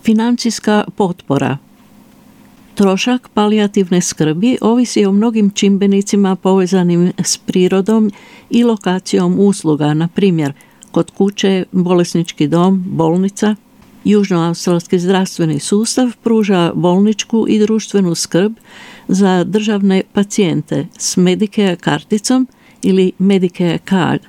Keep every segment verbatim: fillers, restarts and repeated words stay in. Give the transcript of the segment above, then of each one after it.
Financijska potpora. Trošak palijativne skrbi ovisi o mnogim čimbenicima povezanim s prirodom i lokacijom usluga, na primjer kod kuće, bolesnički dom, bolnica. Južnoaustralski zdravstveni sustav pruža bolničku i društvenu skrb za državne pacijente s Medicare karticom ili Medicare card.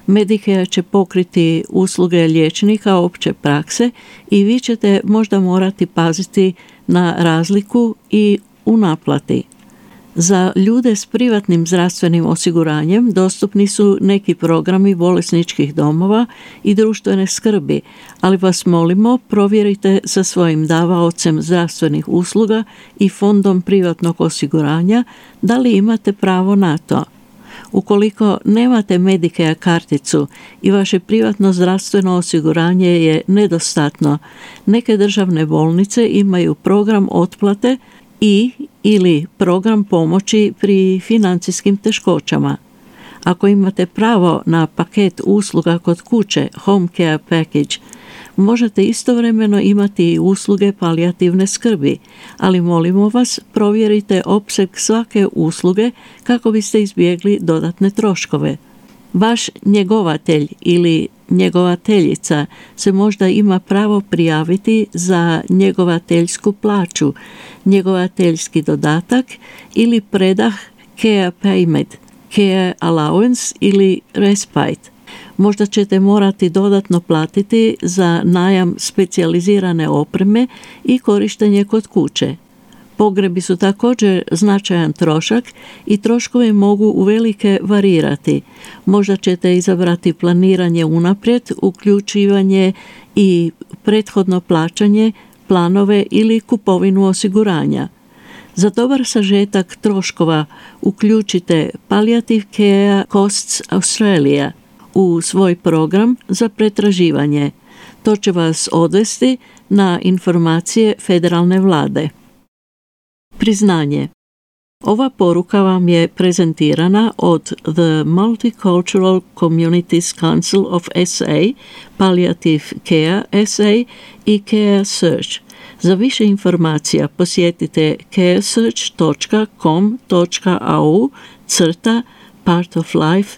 Medicare će pokriti usluge liječnika opće prakse i vi ćete možda morati paziti na razliku i u naplati. Za ljude s privatnim zdravstvenim osiguranjem dostupni su neki programi bolesničkih domova i društvene skrbi, ali vas molimo provjerite sa svojim davaocem zdravstvenih usluga i fondom privatnog osiguranja da li imate pravo na to. Ukoliko nemate Medicare karticu i vaše privatno zdravstveno osiguranje je nedostatno, neke državne bolnice imaju program otplate i ili program pomoći pri financijskim teškoćama. Ako imate pravo na paket usluga kod kuće, Home Care Package, možete istovremeno imati i usluge palijativne skrbi, ali molimo vas provjerite opseg svake usluge kako biste izbjegli dodatne troškove. Vaš njegovatelj ili njegovateljica se možda ima pravo prijaviti za njegovateljsku plaću, njegovateljski dodatak ili predah Care Payment, Care Allowance ili Respite. Možda ćete morati dodatno platiti za najam specijalizirane opreme i korištenje kod kuće. Pogrebi su također značajan trošak i troškovi mogu uvelike varirati. Možda ćete izabrati planiranje unaprijed, uključivanje i prethodno plaćanje, planove ili kupovinu osiguranja. Za dobar sažetak troškova uključite Palliative Care Costs Australia u svoj program za pretraživanje. To će vas odvesti na informacije federalne vlade. Priznanje. Ova poruka vam je prezentirana od The Multicultural Communities Council of S A, Palliative Care S A i Care Search. Za više informacija posjetite caresearch dot com dot a u crta part of life